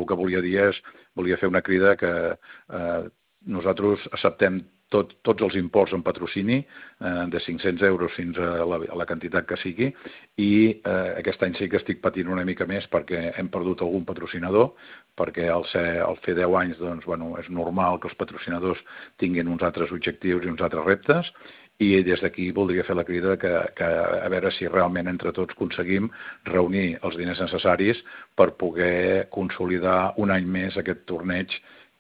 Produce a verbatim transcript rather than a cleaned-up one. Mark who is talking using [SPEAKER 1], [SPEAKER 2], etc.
[SPEAKER 1] el que volia dir és, volia fer una crida que eh, nosaltres acceptem tot, tots els imports en patrocini, eh, de cinc-cents euros fins a la, a la quantitat que sigui, i eh, aquest any sí que estic patint una mica més perquè hem perdut algun patrocinador, perquè al, ser, al fer deu anys doncs, bueno, és normal que els patrocinadors tinguin uns altres objectius i uns altres reptes, i des d'aquí voldria fer la crida que, que a veure si realment entre tots aconseguim reunir els diners necessaris per poder consolidar un any més aquest torneig